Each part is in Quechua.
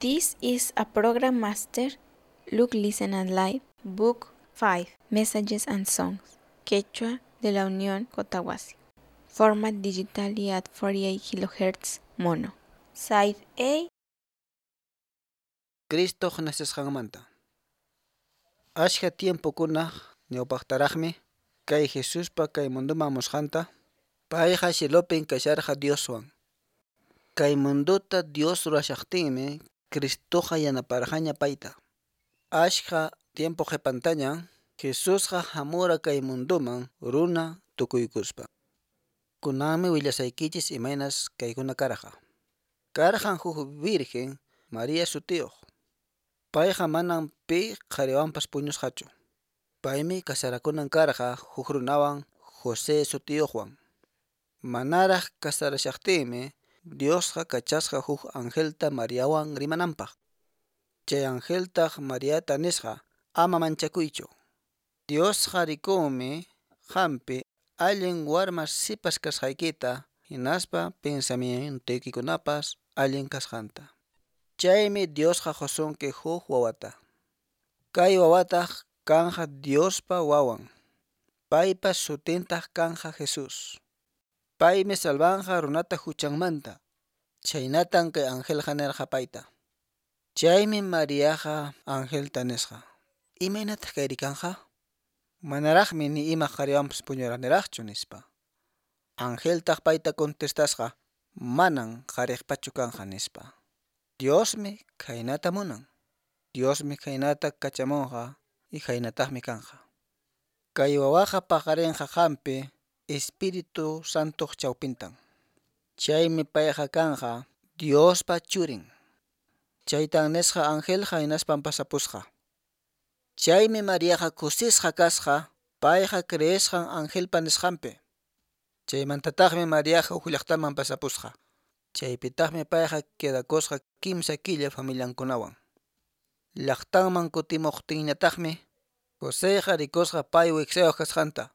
This is a program master, Look, Listen and Live, Book 5, Messages and Songs, Quechua de la Unión Cotahuasi. Format digitally at 48 kHz mono. Side A. Cristoq nacesqanmanta. Ashka tiempokuna ñawpaqtaraqmi kay Jesuspa kay munduman hamusqanta, payqa cielopin kasharqa Dioswan. Kay munduta Dios ruwashaqtinmi Cristoqa yanaparqaña payta. Ashka tiempo qhipantaña Jesusqa hamura kay munduman runa tukuykuspa. Kunanmi willasaykichis imaynas kaykuna karqa. Karqan huk virgen María sutiyuq. Payqa manan pi qhariwanpas puñusqachu. Paymi kasarakunan karqa huk runawan José sutiyuqwan. Manaraq kasarashaqtinmi Diosqa kachasqa huk angelta Mariawan rimananpaq. Chay angeltaq Mariata nisqa: "Ama manchakuychu. Diosqa rikunmi qampi allin warma sipas kasqaykita hinaspa pensamientoykikunapas allin kasqanta. Chaymi Diosqa qusunki huk wawata. Kay wawataq kanqa Diospa wawan. Paypa sutintaq kanqa Jesús. Paymi salvanqa runata huchanmanta." Chhaynatan kay angelqa nirqa payta. Chaymi Mariaqa angelta nisqa: "Imaynataq kayri kanqa? Manaraqmi ni ima qhariwanpas puñuraniraqchu", nispa. Angeltaq payta contestasqa: "Manan qhariqpachu kanqa", nispa. Diosmi khaynata munan. Diosmi khaynata kachamunqa y khaynataqmi kanqa. Kay wawaqa paqarinqa qampi Espíritu Santoq chawpintan. Chaymi payqa kanqa Diospa churin. Chaytan nisqa angelqa hinaspan pasapusqa. Chaymi Mariaqa kusisqa kasqa payqa creesqan angelpa nisqanpi. Chaymantataqmi Mariaqa huk llaqtaman pasapusqa. Chaypitaqmi payqa quedakusqa kimsa killa familiankunawan. Llaqtanman kutimuqtinñataqmi Joseyqa rikusqa pay wiksayuq kasqanta.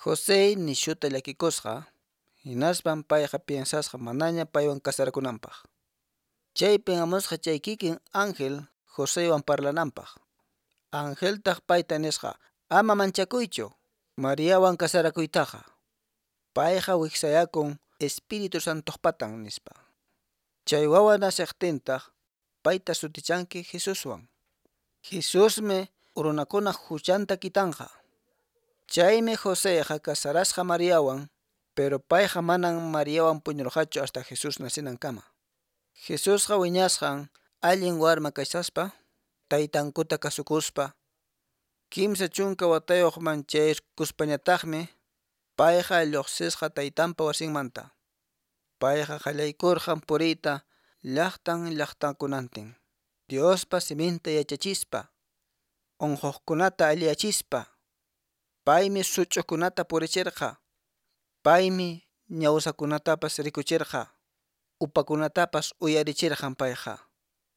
José nishuta llakikusqa, hinaspan payqa piensasqa manaña paywan kasarakunanpaq. Chaypin hamusqa chay kikin ángel Joseywan parlananpaq. Angeltaq payta nisqa: "Ama manchakuychu Mariawan kasarakuytaqa. Payqa wiksayakun Espíritu Santoqpatan", nispa. Chay wawa naceqtintaq payta sutichanki Jesuswan. Jesusmi runakunaq huchanta kitanqa. Chaymi Joseyqa kasarasqa Mariawan, pero payqa manan Mariawan puñurqachu hasta Jesús nacinankama. Jesusqa wiñasqan allin warma kashaspa, taytankuta kasukuspa, 30 watayuqman chayaykuspañataqmi payqa lluqsisqa taytanpa wasinmanta. Payqa qallaykurqan puriyta llaqtan llaqtankunantin, Diospa siminta yachachispa, unquqkunata alliyachispa. Paymi such'ukunata purichirqa, paymi ñawsakunatapas rikuchirqa, upakunatapas uyarichirqan payqa,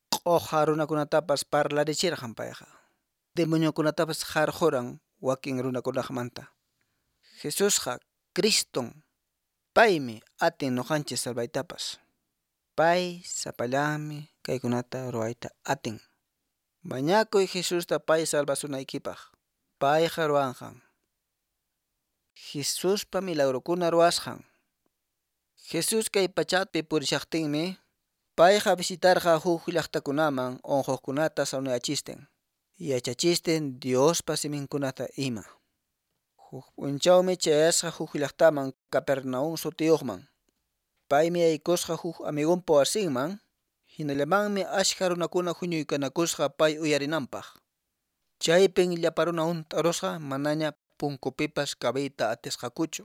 q'uqa runakunatapas parlarichirqan payqa, demoniokunatapas qarquran wakin runakunaqmanta. Jesusqa Criston, paymi atin nuqanchis salvaytapas. Pay sapallanmi kaykunata ruwayta atin. Mañakuy Jesusta pay salvasunaykipaq. Payqa ruwanqan. Jesuspa milagrokuna ruwasqan. Jesús kay pachapi purishaqtinmi payqa visitarqa huk llaqtakunaman unquqkunata sanuyachistin, yachachistin Diospa siminkunata ima. Huk p'unchawmi chayasqa huk llaqtaman Capernaum sutiyuqman. Paymi yaykusqa huk amigunpa wasinman, hinallamanmi ashka runakuna huñuykanakusqa pay uyarinanpaq. Chaypin llapa runa hunt'arusqa manaña punkupipas kabiyta atisqakuchu.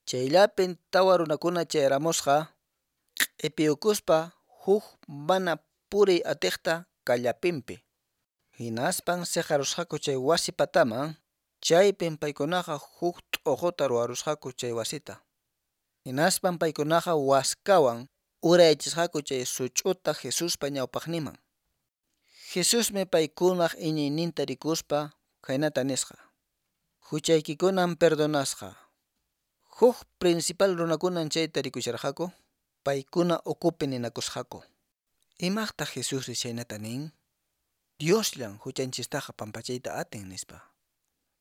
Chayllapin tawa runakuna chayaramusqa q'ipiyukuspa huk mana puriy atiqta kallapinpi. Hinaspan siqarusqaku chay wasi pataman, chaypin paykunaqa huk t'uquta ruwarusqaku chay wasita. Hinaspan paykunaqa waskawan urayachisqaku chay such'uta Jesuspa ñawpaqninman. Jesusmi paykunaq iñiyninta rikuspa khaynata nisqa: "Huchaykikunan perdonasqa." Huk principal runakunan chayta rikusharqaku, paykuna ukupi ninakusqaku: Imaqtaq Jesusri chhaynata nin? Diosllan huchanchistaqa pampachayta atin, nispa.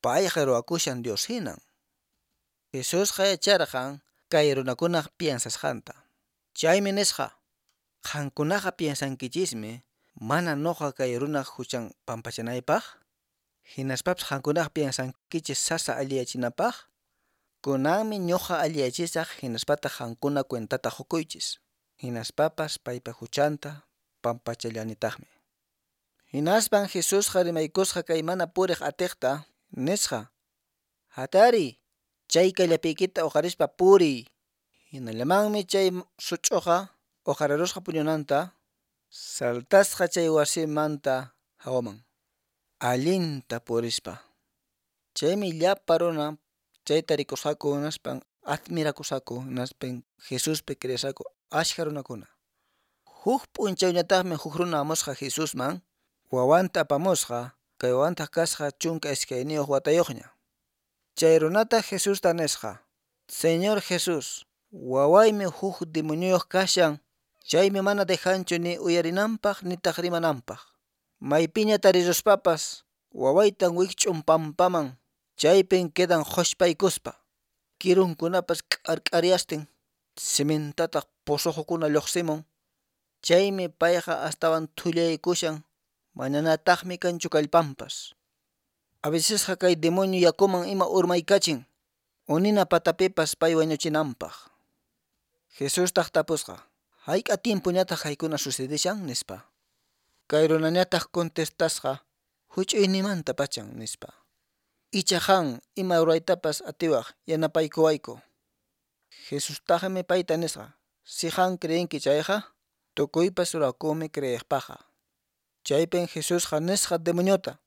Payqa ruwakushan Dios hinan. Jesusqa yacharqan kay runakunaq piensasqanta. Chaymi nisqa: Qankunaqa piensankichismi mana noqa kay runaq huchan pampachanaypaq? Hinaspapas qankunaqa piensankichis sasa alliyachinapaq? Kunanmi ñuqa alliyachisaq hinaspataq qankuna cuentata qukuychis. Hinaspapas paypa huchanta pampachallanitaqmi. Hinaspan Jesusqa rimaykusqa kay mana puriq atiqta, nisqa: Hatariy, chay kallapiykita uqarispa puriy. Hinallamanmi chay such'uqa uqarirusqa puñunanta, saltasqa chay wasimanta hawaman, allinta purispa. Chaymi llapa runa chayta rikusqaku hinaspan admirakusqaku hinaspan Jesuspi creesqaku ashka runakuna. Huk p'unchawñataqmi huk runa hamusqa Jesusman, wawanta apamusqa, kay wawantaq kasqa 12 watayuqña. Chay runataq Jesusta nisqa: Señor Jesús, wawaymi huk demonioyuq kashan, chaymi mana dejanchu ni uyarinanpaq nitaq rimananpaq. Maypiña tariruspapas wawaytan wikch'un pampaman, chaypin quedan qhushpaykuspa. Kirunkunapas k'ark'aryastin, simintataq posoqokuna lluqsimun. Chaymi payqa astawan thullaykushan, mananataqmi kanchu kallpanpas. A vecesqa kay demonio yakuman ima urmaykachin, unina patapipas pay wañuchinanpaq. Jesustaq tapusqa: Hayk'a tiempoñataq kaykuna sucedishan, nispa. Kay runañataq contestasqa: Huch'uynimanta pachan, nispa. Icha qan ima ruraytapas atiwaq yanapaykuwayku. Jesustaqmi payta nisqa: Si qan creenki chayqa, tukuypas rurakunmi creeqpaqqa. Chaypin Jesusqa nisqa demoniota: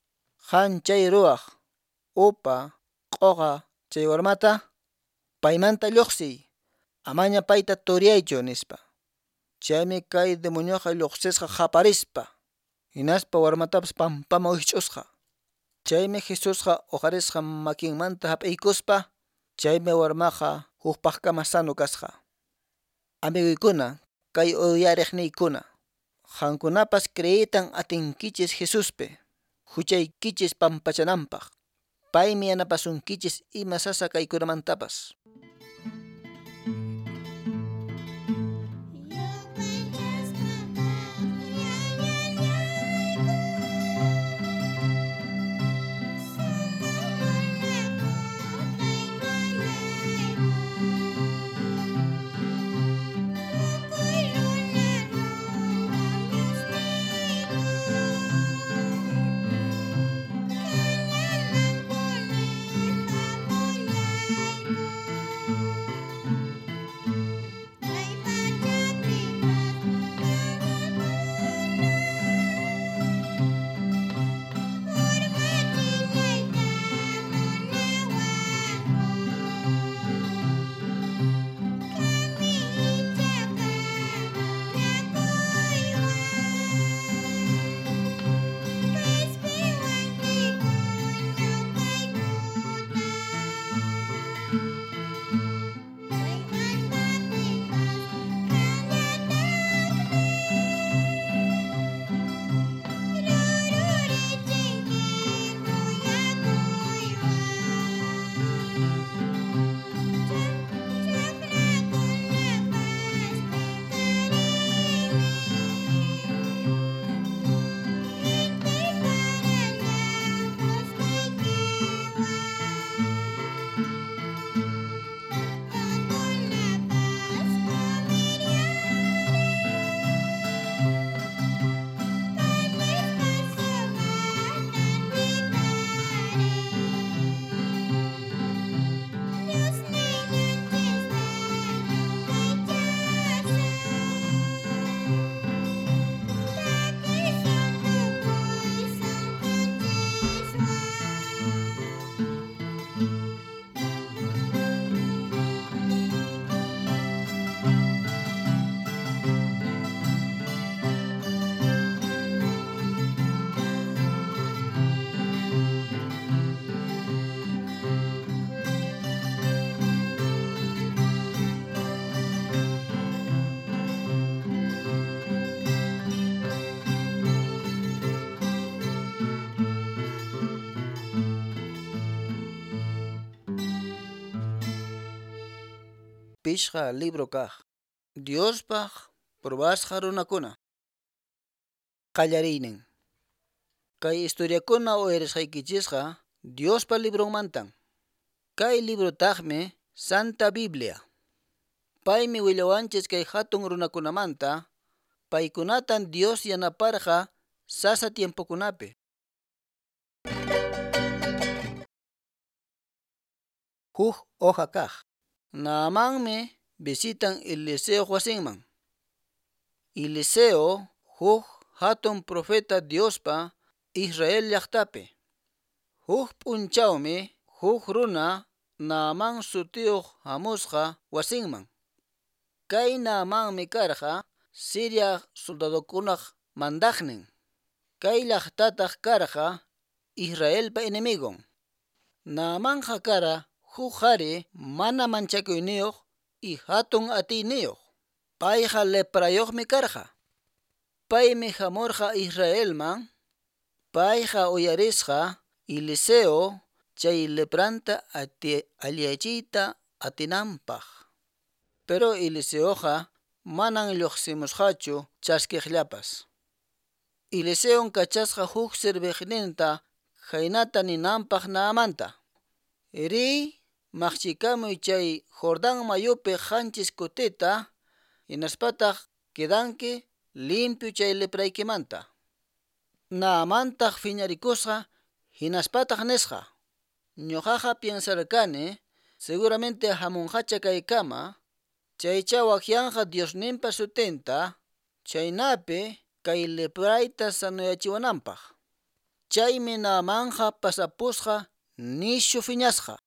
Qan chay ruwaq, upa, q'uqa chay warmata, paymanta lluqsiy, amaña payta turiyaychu, nispa. Chaymi kay demonioqa lluqsisqa qaparispa, hinaspa warmatapas pampaman wikch'usqa. Chaymi Jesusqa uqarisqa makinmanta hap'iykuspa, chaymi warmaqa hukpaqkama sano kasqa. Amiguykuna, kay uyariqniykuna, qankunapas creeytan atinkichis Jesuspi, huchaykichis pampachananpaq. Paymi yanapasunkichis ima sasa kaykunamantapas. Thank you. Pishqa libro kaq. Diospaq probasqa runakuna. Qallariynin. Kay historiakuna uyarisqaykichisqa Diospa libronmantan. Kay librotaqmi Santa Biblia. Paymi willawanchis kay hatun runakunamanta, paykunatan Dios yanaparqa sasa tiempokunapi. Huk hoja kaq. Naamanmi visitan Eliseo wasinman. Eliseo huk hatun profeta Diospa Israel llaqtapi. Huk p'unchawmi huk runa Naaman sutiyuq hamusqa wasinman. Kay Naamanmi karqa Siria soldadokunaq mandaqnin. Kay llaqtataq karqa Israelpa enemigon. Naamanqa kara huk qhari mana manchakuyniyuq y hatun atiyniyuq. Payqa leprayuqmi karqa. Paymi hamurqa Israelman. Payqa uyarisqa Eliseo chay lepranta alliyachiyta atinanpaq. Pero Eliseoqa manan lluqsimusqachu chaskiqllapas. Eliseon kachasqa huk serviqninta khaynata ninanpaq Naamanta: Riy maqchikamuy chay Jordán mayupi qanchis kutita, hinaspataq quedanki limpio chay lepraykimanta. Naamantaq phiñarikusqa hinaspataq nisqa: Ñuqaqa piensarqani seguramente hamunqacha kaykama, chaychá waqyanqa Diosninpa sutinta, chaynapi kay leprayta sanoyachiwananpaq. Chaymi Naamanqa pasapusqa nishu phiñasqa.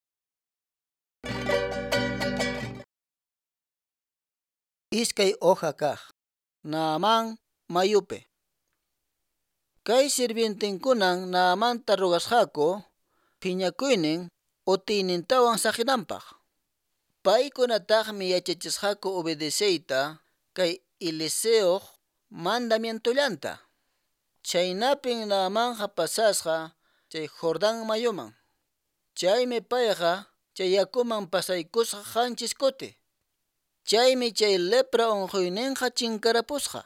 Iskay hoja kaq. Naamán mayupi. Kay sirvientenkunan Naamanta rogasqaku phiñakuynin utiynintawan saqinanpaq. Paykunataqmi yachachisqaku obedeceyta kay Eliseoq mandamientollanta. Chaynapin Naamanqa pasasqa chay Jordán mayuman. Chaymi payqa chay yakuman pasaykusqa qanchis kuti. Chaymi chay lepra unquyninqa chinkarapusqa.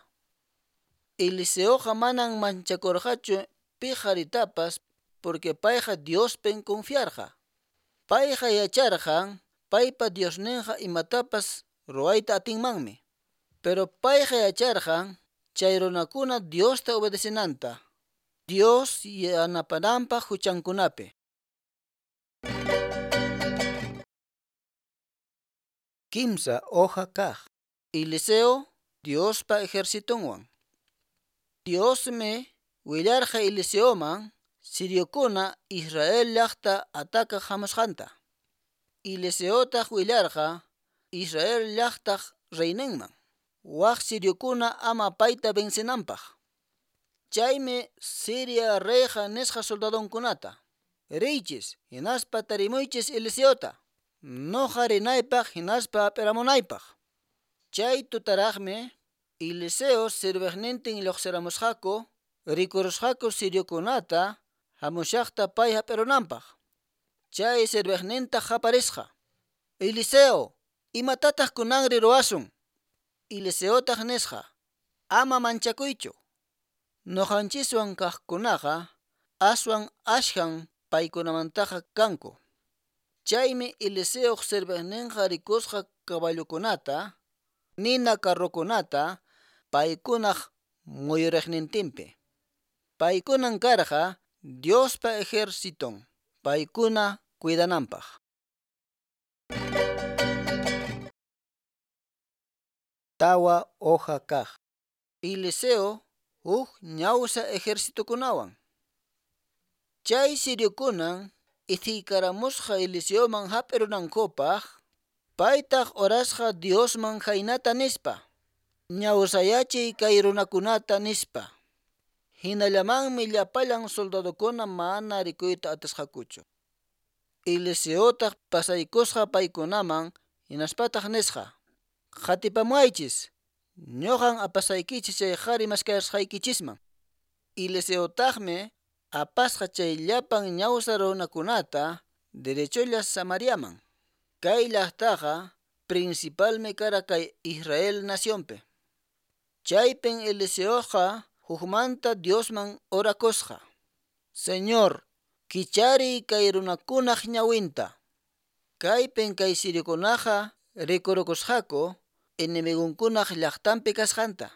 Eliseoqa manan manchakurqachu pi qharitapas porque payqa Diospin confiarqa. Payqa yacharqan paypa Diosninqa imatapas ruwayta atinmanmi. Pero payqa yacharqan chay runakuna Diosta obedecenanta. Dios yanapananpaq huchankunapi. Kimsa hoja kaq. Eliseo Diospa ejercitonwan. Diosmi willarqa Eliseoman siriokuna Israel llaqta atakaq hamusqanta. Eliseotaq willarqa Israel llaqtaq reyninman, waq siriokuna ama payta vencenanpaq. Chaymi Siria reyqa nisqa soldadonkunata: Riychis hinaspa tarimuychis Eliseota, noqa rinaypaq hinaspa hap'iramunaypaq. Chay tutaraqmi Eliseo serviqnintin lluqsiramusqaku, rikurusqaku siriokunata hamushaqta pay hap'irunanpaq. Chay serviqnintaq qaparisqa: Eliseo, imatataq kunanri ruwasun? Eliseotaq nisqa: Ama manchakuychu. Nuqanchiswan kaqkunaqa aswan ashkan paykunamantaqa kanku. Chaymi Eliseoq serviqninqa rikusqa caballokunata, nina carrokunata paykunaq muyuriqnintinpi. Paykunan karqa Diospa ejerciton, paykuna cuidananpaq. Tawa hoja kaq. Eliseo huk ñawsa ejercitokunawan. Chay siriokunan ithikaramusqa Eliseoman hap'irunankupaq, paytaq orasqa Diosman khaynata nispa: Ñawsayachiy kay runakunata nispa. Hinallamanmi llapallan soldadokuna mana rikuyta atisqakuchu. Eliseotaq pasaykusqa paykunaman hinaspataq nisqa: Qatipamuwaychis, ñuqan apasaykichis chay qhari maskasqaykichisman. Eliseotaqmi apasqa chay llapan ñawsa runakunata derecholla Samariaman. Kay llaqtaqa Principalmi kara kay Israel nacionpi. Chaypin Eliseoqa hukmanta Diosman orakusqa. Señor, kichariy kay runakunaq ñawinta. Kaypin kay siriokunaqa rikurukusqaku enemigonkunaq llaqtanpi kasqanta.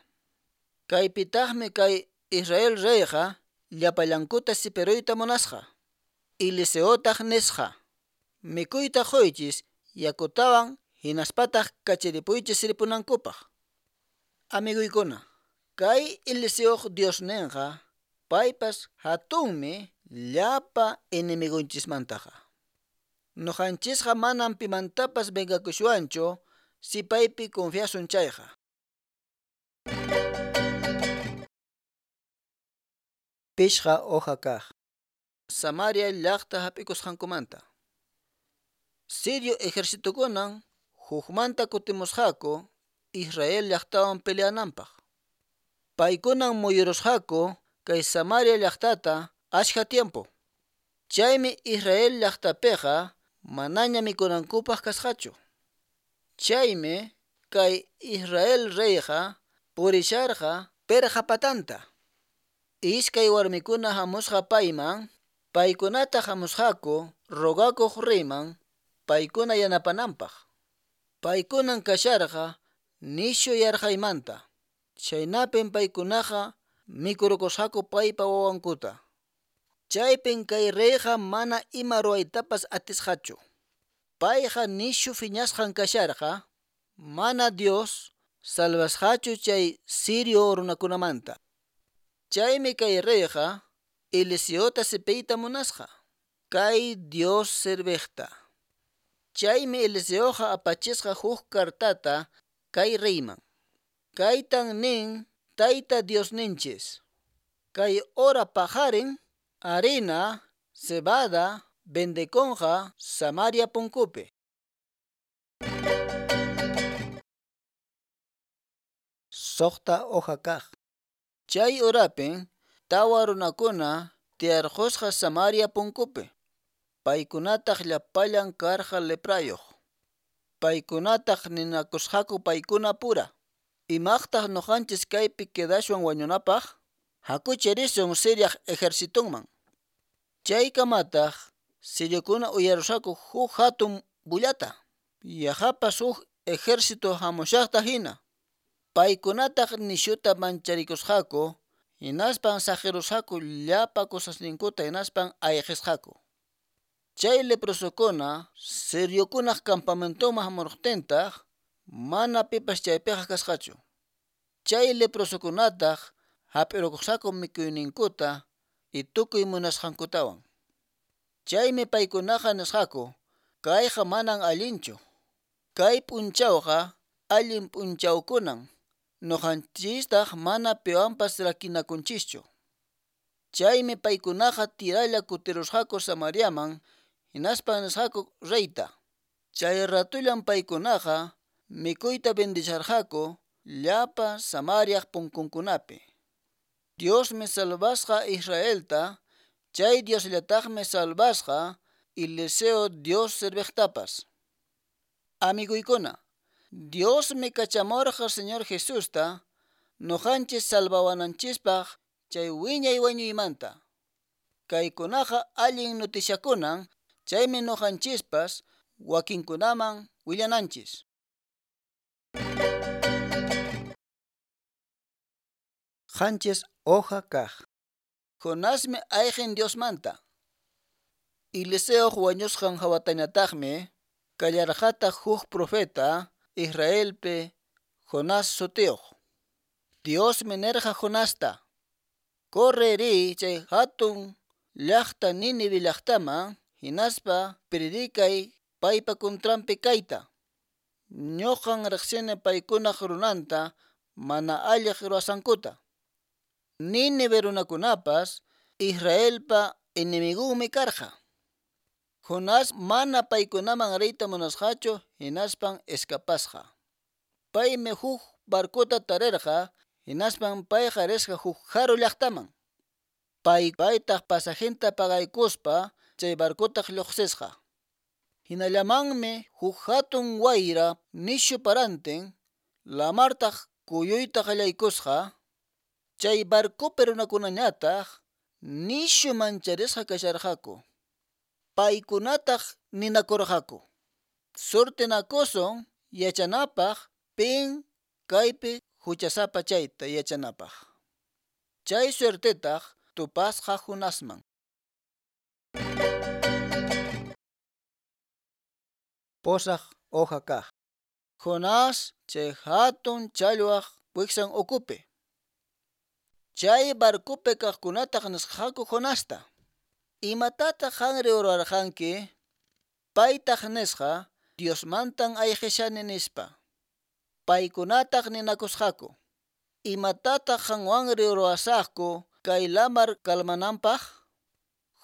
Kaypitaqmi kay Israel reyqa llapallankuta sipiruyta munasqa. Eliseotaq nisqa: Mikuyta quychis yakutawan hinaspataq kacharipuychis ripunankupaq. Amiguykuna, kay Eliseoq Diosninqa paypas hatunmi llapa enemigonchismantaqa. Nuqanchisqa manam pimantapas vengakushwanchu si paypi confiasun chayqa. Pishqa hoja kaq. Samaria llaqta hap'ikusqankumanta. Sirio ejercitokunan hukmanta kutimusqaku Israel llaqtawan peleananpaq. Paykunan muyurusqaku kay Samaria llaqtata ashka tiempo. Chaymi Israel llaqtapiqa manaña mikunankupaq kasqachu. Chaymi kay Israel reyqa purisharqa perqa patanta. Iskay warmikuna hamusqa payman, paykunataq hamusqaku rogakuq reyman paykuna yanapananpaq. Paykunan kasharqa nishu yarqaymanta. Chaynapin paykunaqa mikurukusqaku paypa wawankuta. Chaypin kay reyqa mana ima ruwaytapas atisqachu. Payqa nishu phiñasqan kasharqa, mana Dios salvasqachu chay sirio runakunamanta. Chaymi kay reyqa Eliseota sipiyta munasqa, kay Dios serviqta. Chaymi Eliseoqa apachisqa huk kartata kay reyman. Kaytan nin Tayta Diosninchis: Kay hora paqarin harina, cebada vendekunqa Samaria punkupi. Suqta hoja kaq. Chay horapin tawa runakuna tiyarqusqa Samaria punkupi. Paykunataq llapallan karqa leprayuq. Paykunataq ninakusqaku paykuna pura: Imaqtaq nuqanchis kaypi quedashwan wañunapaq? Hakuchi risun Siriaq ejercitonman. Chaykamataq siriokuna uyarusqaku huk hatun bullata. Yaqapas huk ejército hamushaqta hina. Paykunataq nishuta mancharikusqaku, hinaspan saqirusqaku llapa cosasninkuta hinaspan ayqisqaku. Chay leprosokuna siriokunaq campamentoman hamuruqtintaq mana pipas chaypiqa kasqachu. Chay leprosokunataq hap'irukusqaku mikuyninkuta y tukuy munasqankutawan. Chaymi paykunaqa nisqaku: Kayqa manan allinchu. Kay p'unchawqa allin p'unchawkunan, nuqanchistaq mana piwanpas rakinakunchischu. Chaymi paykunaqa tiralla kutirusqaku Samariaman, hinaspan nisqaku reyta. Chay ratullan paykunaqa mikuyta vendisharqaku llapa Samariaq punkunkunapi. Diosmi salvasqa Israelta, chay Diosllataqmi salvasqa Eliseo Dios serviqtapas. Amiguykuna, Diosmi kachamurqa Señor Jesusta nuqanchis salvawananchispaq chay wiñay wañuymanta. Kaykunaqa allin noticiakunan, chaymi nuqanchispas wakinkunaman willananchis. Qanchis hoja kaq. Jonasmi ayqin Diosmanta. Eliseoq wañusqan hawatañataqmi kallarqataq huk profeta Israelpi Jonás sutiyuq. Diosmi nirqa Jonasta: Corre riy chay hatun llaqta Nínive llaqtaman hinaspa predicay paypa contranpi kayta: Ñuqan riqsini paykunaq runanta mana alliq ruwasqankuta. Nínive runakunapas Israelpa enemigonmi karqa. Jonás mana paykunaman riyta munasqachu hinaspan escapasqa. Paymi huk barcota tarirqa hinaspan payqa risqa huk haru llaqtaman. Pay paytaq pasajinta pagaykuspa chay barcotaq lluqsisqa. Hinallamanmi huk hatun wayra nishu parantin, lamartaq kuyuyta qallaykusqa. Chay barcopi runakunañataq nishu mancharisqa kasharqaku. Paykunataq ninakurqaku: Surtinakusun yachanapaq pin kaypi huchasapa chayta yachanapaq. Chay suertetaq tupasqa Jonasman. Pusaq hoja kaq. Jonás chay hatun challwaq wiksan ukupi. Chay barcopi kaqkunataq nisqaku Jonasta: Imatataq qanri ruwarqanki? Paytaq nisqa: Diosmantan ayqishani, nispa. Paykunataq ninakusqaku: Imatataq qanwanri ruwasaqku kay lamar calmananpaq?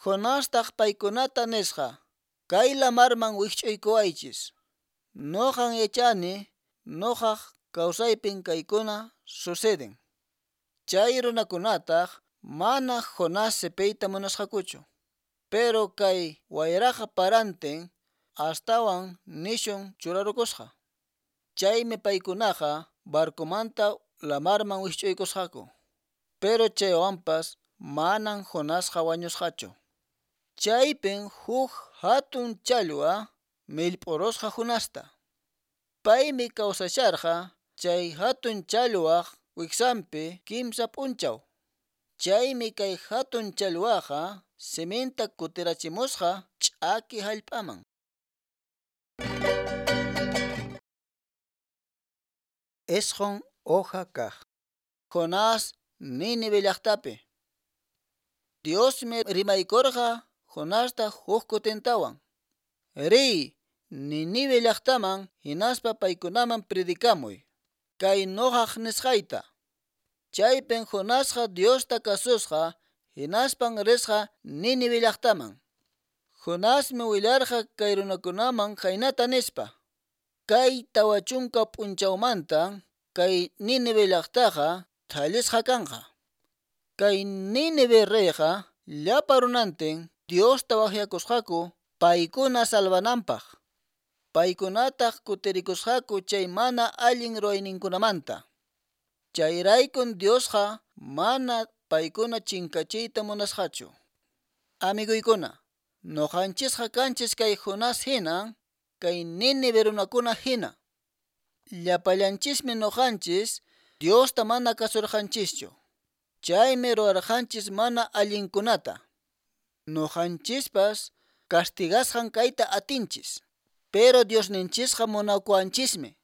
Jonastaq paykunata nisqa: Kay lamarman wikch'uykuwaychis. Noqan yachani noqaq kawsaypin kaykuna suceden. Chay runakunataq mana Jonás sipiyta munasqakuchu. Pero kay wayraqa parantin astawan nishun churarukusqa. Chaymi paykunaqa barcomanta lamarman wikch'uykusqaku. Pero chaywanpas manan Jonasqa wañusqachu. Chaypin huk hatun challwa millp'urusqa Jonasta. Paymi kawsasharqa chay hatun challwaq wiksanpi kimsa p'unchaw. Chaymi kay hatun challwaqa siminta kutirachimusqa ch'aki hallp'aman. Isqun hoja kaq. Jonás Nínive llaqtapi. Diosmi rimaykurqa Jonasta huk kutintawan: Riy Nínive llaqtaman hinaspa paykunaman predicamuy kay noqaq nisqayta. Chaypin Jonasqa Diosta kasusqa hinaspan risqa Nínive llaqtaman. Jonasmi willarqa kay runakunaman khaynata nispa: Kay 40 p'unchawmantan kay Nínive llaqtaqa thallisqa kanqa. Kay Nínive reyqa llapa runantin Diosta waqyakusqaku paykuna salvananpaq. Paykunataq kutirikusqaku chay mana allin ruwayninkunamanta. Chayraykun Diosqa mana paykuna chinkachiyta munasqachu. Amiguykuna, noqanchisqa kanchis kay Jonás hinan, kay Nínive runakuna hina. Llapallanchismi noqanchis Diosta mana kasurqanchischu. Chaymi ruwarqanchis mana allinkunata. Noqanchispas castigasqan kayta atinchis. Pero Diosninchisqa munakuwanchismi.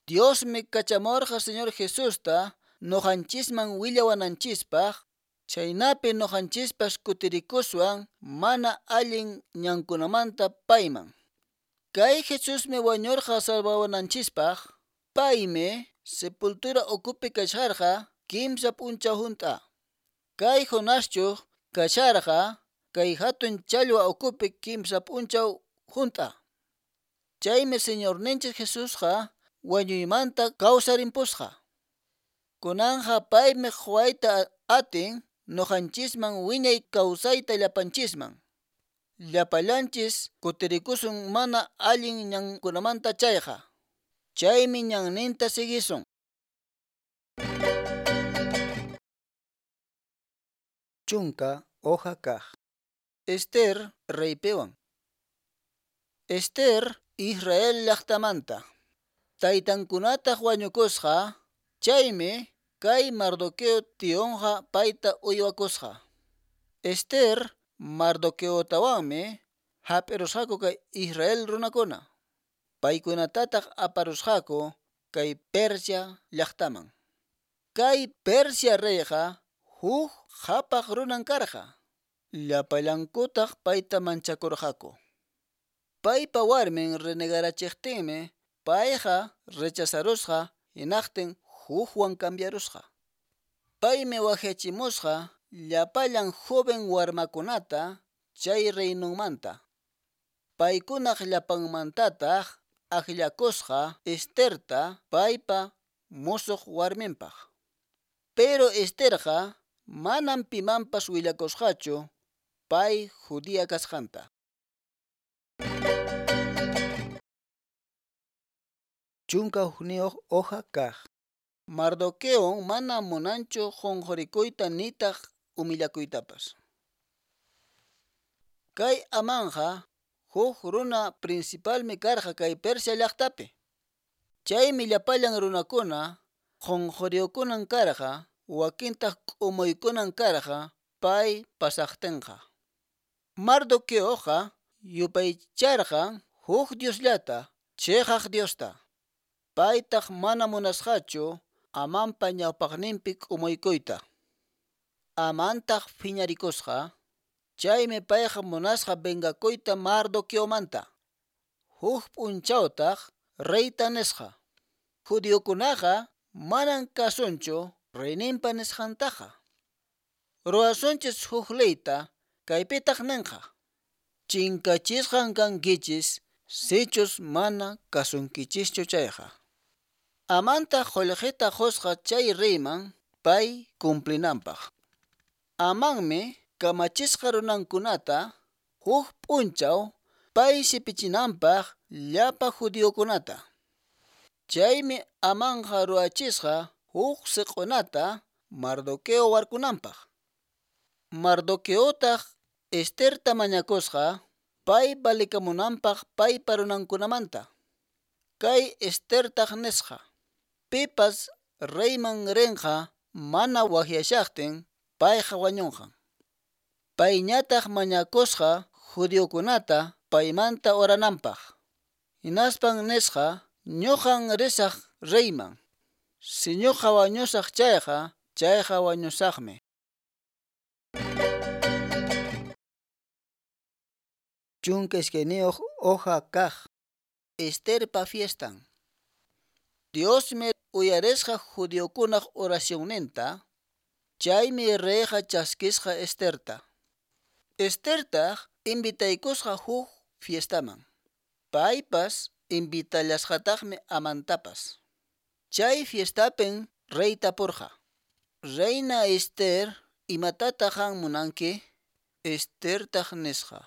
Diosmi kachamurqa Señor Jesusta noqanchisman willawananchispaq, chaynapi noqanchispas kutirikuswan mana allin ñankunamanta payman. Kay Jesusmi wañurqa salvawananchispaq. Paymi sepultura ukupi kasharqa kimsa p'unchaw hunt'a. Kay Jonaschu kasharqa kay hatun challwa ukupi kimsa p'unchaw hunt'a. Chaymi Señorninchis Jesusqa wañuymanta kawsarimpusqa. Kunanqa paymi quwayta atin noqanchisman wiñay kawsayta llapanchisman. Llapallanchis kutirikusun mana allin ñankunamanta chayqa. Chaymi ñanninta siguisun. Chunka hoja kaq. Esther reypiwan. Esther Israel llaqtamanta. Taytankunataq wañukusqa, chaymi kay Mardoqueo tionqa payta uywakusqa. Esther Mardoqueotawanmi hap'irusqaku kay Israel runakuna. Paykunatataq aparusqaku kay Persia llaqtaman. Kay Persia reyqa huk qhapaq runan karqa. Llapallankutaq payta manchakurqaku. Paypa warmin renegarachiqtinmi payqa rechazarusqa hinaqtin hukwan cambiarusqa. Paymi waqyachimusqa llapallan joven warmakunata chay reinonmanta. Paykunaq llapanmantataq akllakusqa Esterta paypa musuq warminpaq. Pero Esterqa manam pimanpas willakusqachu pay judía kasqanta. 11 hoja kaq. Mardoqueo mana munanchu qunqurikuyta nitaq humillakuytapas. Kay Amanqa huk runa principalmi karqa kay Persia llaqtapi. Chaymi llapallan runakuna qunquriyukunan karqa, wakintaq k'umuykunan karqa pay pasaqtinqa. Mardoqueoqa yupaycharqa huk Diosllata, chiqaq Diosta. Paytaq mana munasqachu Amanpa ñawpaqninpi k'umuykuyta. Amantaq phiñarikusqa, chaymi payqa munasqa vengakuyta Mardoqueomanta. Huk p'unchawtaq reyta nisqa: Judiokunaqa manan kasunchu reyninpa nisqantaqa. Ruwasunchis huk leyta, kaypitaq ninqa: Chinkachisqan kankichis sichus mana kasunkichischu chayqa. Amantaq qullqita qusqa chay reyman pay cumplinanpaq. Amanmi kamachisqa runankunata huk p'unchaw pay sipichinanpaq llapa judiokunata. Chaymi Amanqa ruwachisqa huk siq'unata Mardoqueo warkunanpaq. Mardoqueotaq Esterta mañakusqa pay valikamunanpaq paypa runankunamanta. Kay Estertaq nisqa: Pipas reyman rinqa mana waqyashaqtin payqa wañunqan. Payñataq mañakusqa judiokunata paymanta orananpaq. Hinaspan nisqa: Ñuqan risaq reyman. Si ñuqa wañusaq chayqa, chayqa wañusaqmi. 12 hoja kaq. Esterpa fiestan. Diosmi uyarisqa judiokunaq oracionninta, chaymi reyqa chaskisqa Esterta. Estertaq invitaykusqa huk fiestaman. Paypas invitallasqataqmi Amantapas. Chay fiestapin rey tapurqa: Reina Ester, imatataq qan munanki? Estertaq nisqa: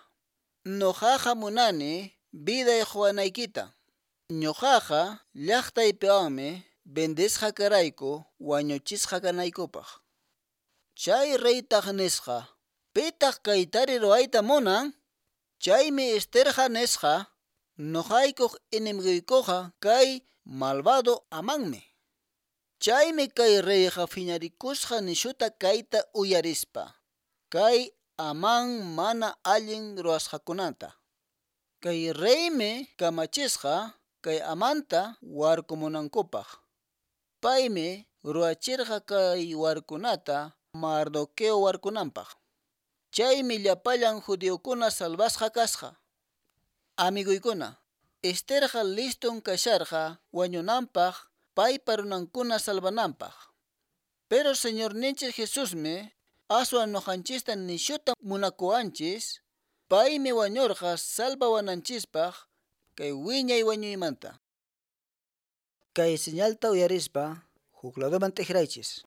Ñuqaqa munani viday quwanaykita. Ñuqaqa llaqtaypiwanmi vendesqa karayku wañuchisqa kanaykupaq. Chay reytaq nisqa: Pitaq kaytari ruwayta munan? Chaymi Esterqa nisqa: Ñuqaykuq enemiguykuqa kay malvado Amanmi. Chaymi kay reyqa phiñarikusqa nishuta kayta uyarispa, kay Amán mana allin ruwasqakunata. Kay reymi kamachisqa kay Amanta warkumunankupaq. Paymi ruwachirqa kay warkunata Mardoqueo warkunanpaq. Chaymi llapallan judiokuna salvasqa kasqa. Amiguykuna, Esterqa liston kasharqa wañunanpaq paypa runankuna salvananpaq. Pero Señorninchis Jesusmi aswan ñuqanchista nishuta munakuwanchis, paymi wañurqa salvawananchispaq kay wiñay wañuymanta. Kay señalta uyarispa huk ladoman t'ikraychis.